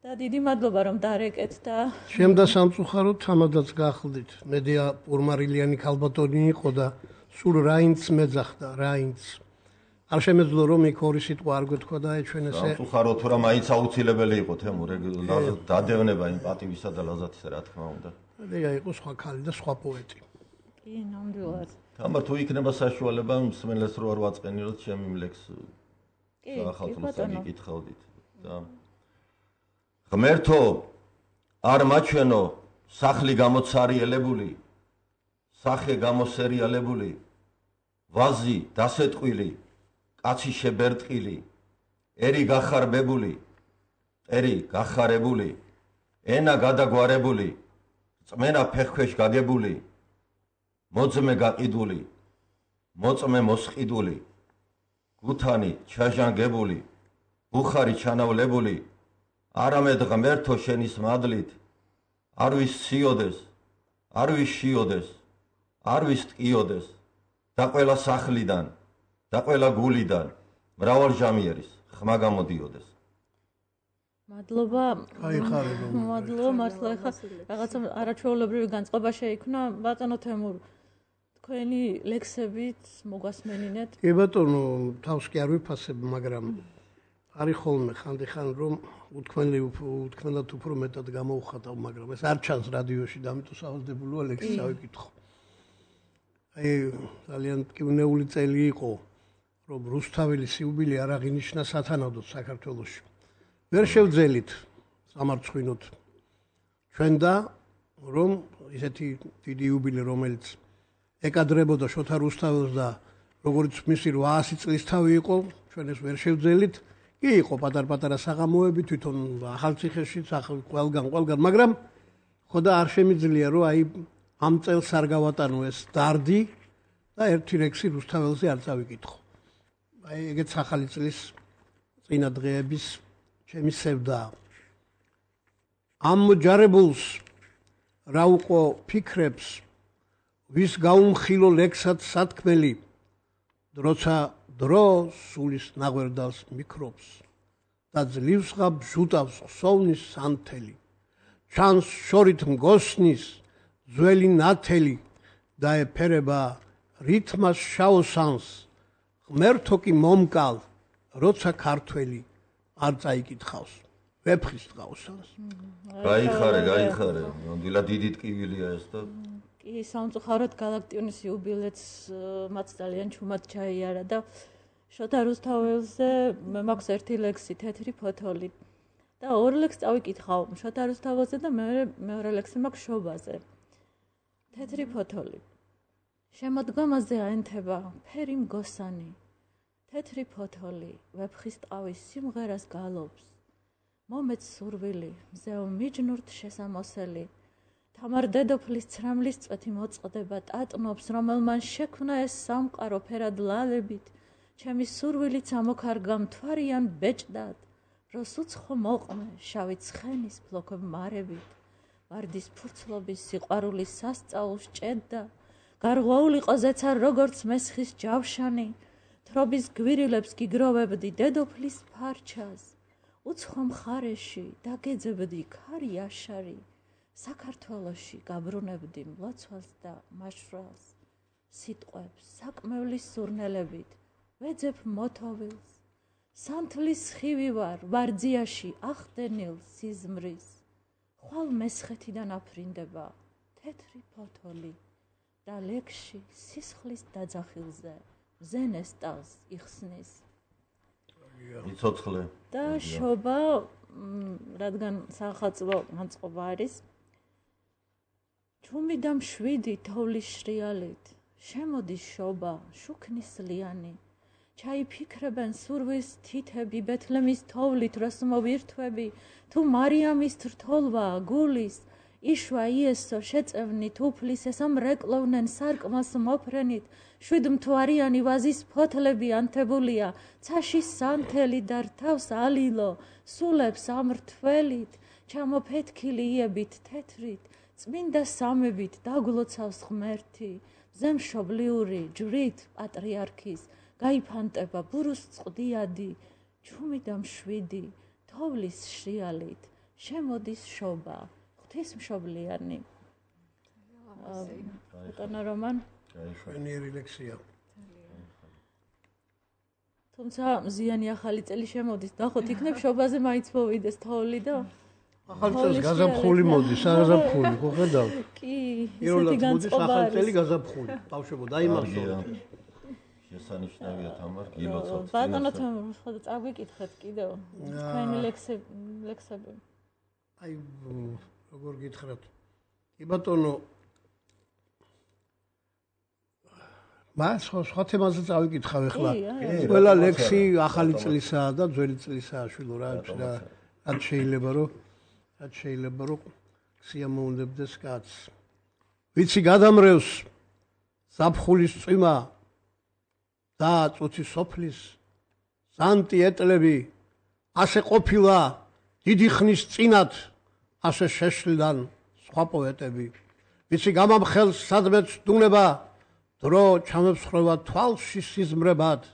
და დიდი მადლობა რომ დარეკეთ და შემ და სამწუხაროდ თამადაც გახლდით. მედია პურმარილიანი ქალბატონი იყო და სულ რაინც მეძახდა, რაინც არ შემეძლო რომ იქ ორი სიტყვა არ გვეთქვა და ჩვენ ესე სამწუხაროდ თუ რა მაინც აუცილებელი იყო თემურ დადევნება იმ პატივისა და ლაზათისა რა თქმა უნდა. მედია იყო სხვა ქალი და სხვა პოეტი. კი, ნამდვილად. თამარ თუ იქნება საშუალება მსმენელს რო არ ვაწყენილოთ ჩემი ლექს ახალწლს გიკითხავდით და ღმერთო არ მაჩვენო სახლი გამოცარიელებული სახე გამოსერიალებული ვაზი დასეტყვილი კაცი შებერტყილი ერი გახარბებული ერი გახარებული ენა გადაგვარებული წმენა ფეხქვეშ გაგებული მოძმე გაყიდული მოწმე მოსყიდული გუთანი ჩაჟანგებული ბუხარი ჩანავლებული არამედ ღმერთო შენის მადლით არ ვისციოდეს არ ვიშიოდეს არ ვისტკიოდეს და ყველა სახლიდან და ყველა გულიდან მრავალჟამიერის ხმა გამოდიოდეს. მადლობა. გაიხარებო. მადლობა მართლა ხა რაღაცა არაჩვეულებრივი განწყობა შეიქმნა ბატონო თემურ თქვენი ლექსებით მოგასმენინეთ. კი ბატონო თავს კი არ ვიფასებ, მაგრამ არის ხოლმე ხანდახან რომ უთქმელად უფრო მეტად გამოვხატავ, მაგრამ ეს არ ჩანს რადიოში და ამიტომ სავალდებულოა ლექსი წავიკითხო. აი ძალიან ტკივნეული წელი იყო, რომ რუსთაველის იუბილე არ აღინიშნა სათანადოდ საქართველოში. ვერ შევძელით სამარცხვინოთ ჩვენ და რომ ისეთი დიდი იუბილე რომელიც ეკადრებოდა შოთა რუსთაველს და როგორც მისი 800 წლის თავი იყო, ჩვენ ეს ვერ შევძელით. კი იყო პატარ-პატარა საღამოები თვითონ ახალციხეში, ყველგან, მაგრამ ხო და არ შემიძლია რომ აი ამ წელს არ გავატანო ეს დარდი და ერთი ლექსი რუსთაველზე არ წავიკითხო. აი ეგეც ახალი წლის წინა დღეების ჩემი სევდაა. ამ ჯარებულს რა უყო ფიქრებს ვის გაუმხილო ლექსად სათქმელი დროცა დრო სულის ნაღვერდალს მიკრობს და ძლივსღა ბჟუტავს ხსოვნის სანთელი ჩანს შორით მგოსნის ძველი ნათელი და ეფერება რითმას შაოსანს ღმერთო კი მომკალ როცა ქართველი არ წაიკითხავს ვეფხის ტყავსანს. გაიხარე. ნამდვილად დიდი ტკივილია ეს და კი სამწუხაროდ გალაქტიონის იუბილეც მათ ძალიან ჩუმად ჩაიარა და შოთა რუსთაველზე მე მაქვს ერთი ლექსი თეთრი ფოთოლი და ორი ლექსი წავიკითხავ შოთა რუსთაველზე და მეორე ლექსი მაქვს შობაზე. თეთრი ფოთოლი შემოდგომაზე აენთება ფერი მგოსანი თეთრი ფოთოლი ვეფხის ტყავის სიმღერას გალობს მომეც სურვილი მზეო მიჯნურთ შესამოსელი თამარ დედოფლის ცრამლის წვეთი მოწყდება ტატნობს რომელმან შექმნა ეს სამყარო ფერად ლალებით ჩემი სურვილიც ამოქარგა მთვარიან ბეჭდად როს უცხო მოყმე შავი ცხენის ფლოქებ მარებით ვარდის ფურცლობის სიყვარულის სასწაულს ჭედდა გარღვაულიყო ზეცა როგორც მესხის ჯავშანი თრობის გვირილებს გიგროვებდი დედოფლის ფარჩას უცხო მხარეში დაგეძებდი ქარი აშარი საქართველოში გაბრუნებდი მლოცვალს და მაშვრალს სიტყვებს საკმევლის სურნელებით ვეძებ მოთოვილს სანთლის ხივი ვარ ძიაში ახდენილ სიზმრის ხვალ მესხეთიდან აფრინდება თეთრი ფოთოლი და ლექსში სისხლის დაძახილზე ზენესტალს იხსნის იცოცხლე და შობა რადგან სახალხო განწყობა არის ჩუმი და მშვიდი თოვლის შრიალით შემოდის შობა შუქნისლიანი ჩაიფიქრებენ სურვილს თითები ბეთლემის თოვლით როს მოვირთვები თუ მარიამის რთოლვა გულის იშვა იესო შეწევნით უფლის ესამ რეკლოვნენ სარკმას მოფრენით შვიდმთვარიანი ვაზის ფოთლები ანთებულია ცაში სანთელი და რთავს ალილო სულებს ამრთველით ჩამოფეთქილი იებით თეთრით წმინდა სამებით დაგლოცავს ღმერთი მზემშობლიური ჯვრით პატრიარქის გაიფანტება ბურუს წყდიადი ჩუმი და მშვიდი თოვლის შრიალით შემოდის შობა ღვთისმშობლიანი ბატონო რომან შვენიერი ლექსია თუმცა მზიანი ახალი წელი შემოდის ნახოთ იქნებ შობაზე მაინც მოვიდეს თოვლი და ახალი წელს გაზაფხული მოდის გაზაფხული ხო ხედავ კი ისეთი განწყობა ახალი წელი გაზაფხული ბავშვებო დაიმახსოვრეთ შესანიშნავია თამარ გილოცავთ ბატონო თამარ ხოდა წაგვიკითხეთ კიდევ თქვენი ლექსები აი როგორ გითხრათ კი ბატონო მას სხვა თემაზე წავიკითხავ ახლა ყველა ლექსი ახალი წლისაა და ძველი წლისაა შვილო რა რაც შეიძლება რომ სიამოვნებდეს კაცს ვიცი გადამრევს საფხულის წვიმა და წუთი სოფლის სანტი ეტლები ასე ყოფილა დიდი ხნის წინათ ასე შეშლიდან სხვა პოეტები ვიცი გამამხელს სადმეც დუნება დრო ჩამებსხრება თვალში სიზმრებად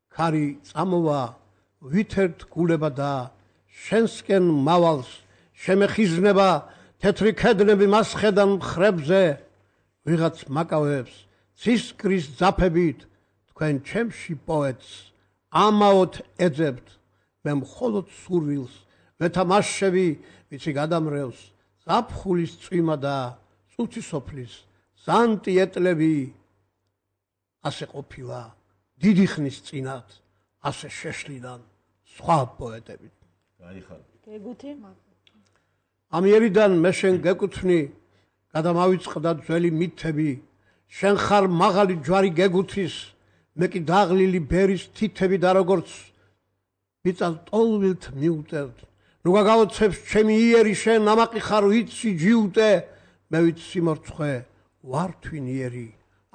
ქარი წამოვა ვითერთ გულება და შენსკენ მავალს შემეხიზნება თეთრი ქედნები მასხედან მხრებზე ვიღაც მაკავებს ცისკრის ძაფებით თქვენ ჩემში პოეტს ამაოთ ეძებთ მე მხოლოდ სურვილს ვეთამაშები ვიცი გადამრევს ზაფხულის წვიმა და წუთი სოფლის სანტი ეტლები ასე ყოფილა დიდი ხნის წინათ ასე შეშლიდან სხვა პოეტები გაიხარე გეგუთი ამიერიდან მე შენ გეკუთვნი გადამავიწყდა ძველი მითები შენ ხარ მაღალი ჯვარი გეგუთის მე კი დაღლილი ბერის თითები და როგორც მიწას ტოლვილთ მიუტევთ ნუ გაგაოცებს ჩემი იერი შენ ამაყი ხარ ვიცი ჯიუტე მე ვიცი სიმორცხვე ვარ თვინიერი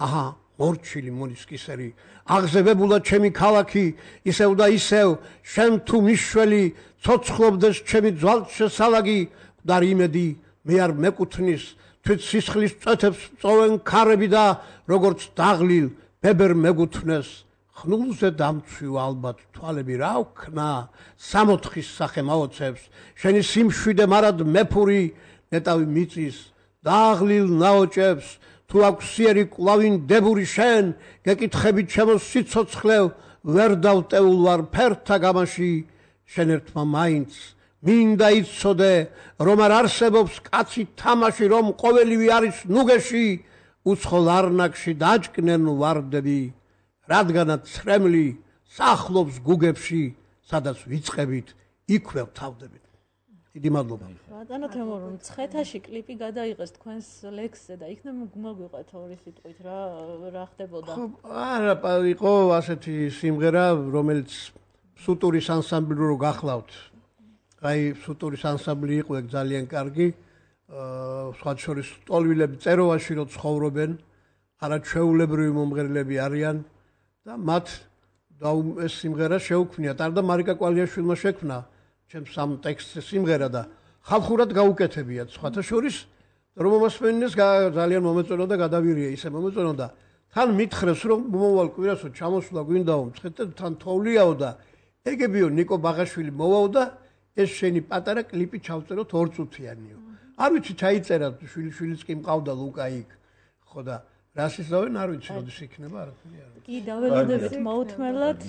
აჰა მორჩილი მონისკისერი აღზევებულა ჩემი ქალაქი ისევ და ისევ შენ თუ მიშველი ცოცხლობდეს ჩემი ძვალშესალაგი მკვდარი იმედი მე არ მეკუთვნის თვით სისხლის წვეთებს წოვენ ქარები და როგორც დაღლილ ბებერ მეგუთვნეს ხნულზე დამცვი ალბათ თვალები რა ვქნა 60-ის სახე მაოცებს შენი სიმშვიდე მარად მეფური ნეტავი მიწის დაღლილ ნაოჭებს თუ აქვს სიერი კლავინ დებური შენ გეკითხები ჩემო სიცოცხლევ ვერ დავტეულ ვარ ფერთა გამაში შენ ერთმა მაინც მინდა იცოდე რომ არ არსებობს კაცი თამაში რომ ყოველივე არის ნუგეში უცხოლ არნაკში დაჭკნენ ვარდები რადგანაც ცრემლი სახლობს გუგებში სადაც ვიწყებით იქვე ვთავდებით დიდი მადლობა ბატონო თემურ მცხეთაში კლიპი გადაიღეს თქვენს ლექსზე და იქნებ მოგვიყვეთ ორი სიტყვით რა ხდებოდა არა იყო ასეთი სიმღერა რომელიც სუტურის ანსამბლი რო გახლავთ აი სუტურის ანსამბლი იყო ეგ ძალიან კარგი სხვა შორის ტოლვილები წეროვაში რო ცხოვრობენ არაჩვეულებრივი მომღერლები არიან და მათ ეს სიმღერა შეუქმნიათ არ და მარიკა კვალიაშვილმა შექმნა ჩემს ამ ტექსტზე სიმღერა და ხალხურად გაუკეთებიათ სხვათა შორის რომ მომასმენინეს ძალიან მომეწონა და გადავირია ისე მომეწონა და თან მითხრეს რომ მომავალ კვირასო ჩამოსვლა გვინდაო მცხეთთან თან თოვლიაო და ეგებიო ნიკო ბაღაშვილი მოვაო და ეს შენი პატარა კლიპი ჩავწეროთ 2 წუთიანიო არ ვიცი ჩაიწერა შვილიშვილიც კი მყავდა ლუკა იქ ხო და რას ისავენ არ ვიცი როდის იქნება არაფერი არ ვიცი კი დაველოდებით მოუთმელად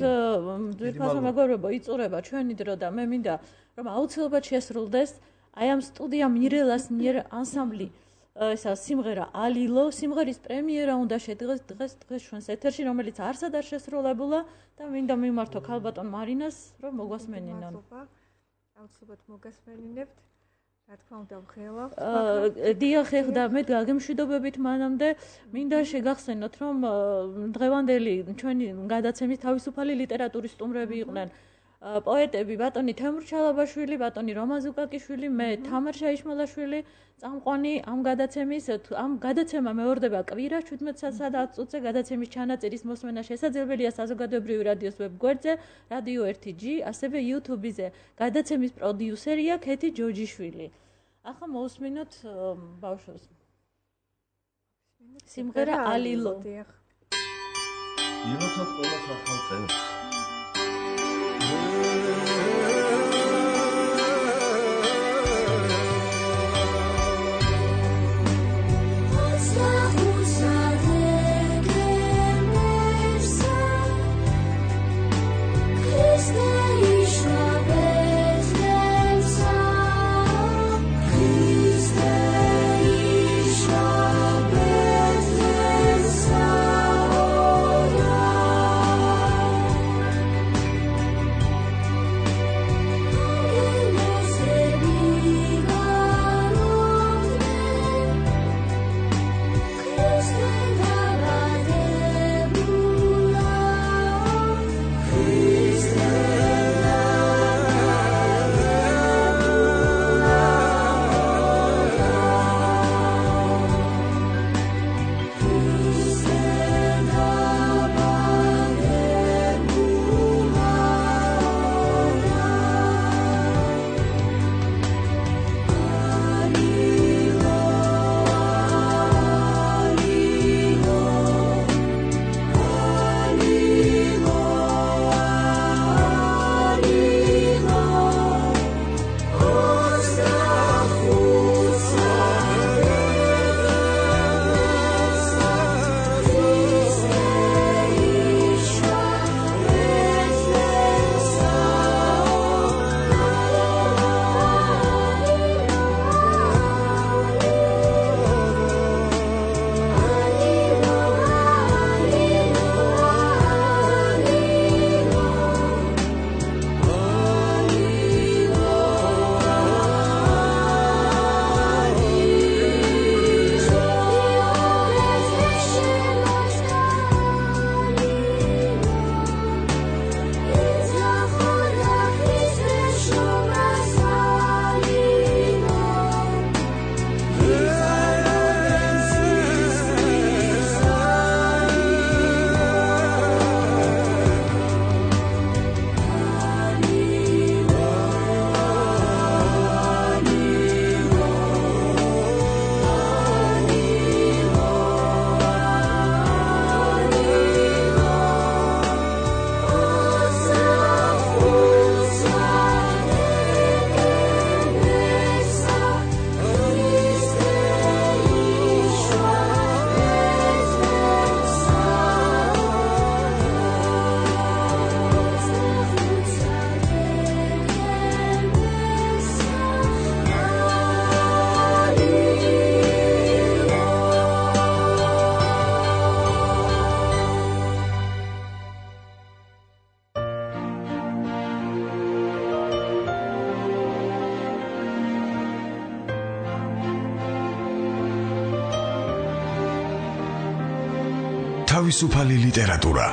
ძვირფასო მეგობრებო იწურება ჩვენი დრო და მე მინდა რომ აუცილებლად შესრულდეს აი ამ სტუდია მირელას მიერ ანსამბლი ესა სიმღერა ალილო სიმღერის პრემიერა უნდა შედგეს დღეს ჩვენს ეთერში რომელიც არსად არ შესრულებულა და მინდა მიმართო ქალბატონ მარინას რომ მოგვასმენინონ აუცილებლად მოგასმენინებთ რა თქმა უნდა ვხელავთ დიახ ეხლა მე გაგემშვიდობებით მანამდე მინდა შეგახსენოთ რომ დღევანდელი ჩვენი გადაცემის თავისუფალი ლიტერატურის სტუმრები იყვნენ პოეტები ბატონი თემურ ჩალაბაშვილი ბატონი რომან ზუკაკიშვილი მე თამარ შაიშმალაშვილი წამყვანი ამ გადაცემა მეორდება კვირას 17:00-სა და 10 წუთზე გადაცემის ჩანაწერის მოსმენა შესაძლებელია საზოგადოებრივი რადიოს ვებგვერდზე რადიო 1G ასევე YouTube-ზე გადაცემის პროდიუსერია ქეთი ჯოჯიშვილი ახლა მოусმინოთ ბავშვებს სიმღერა ალილო იმასაც ყველას ახალ წელს თავისუფალი ლიტერატურა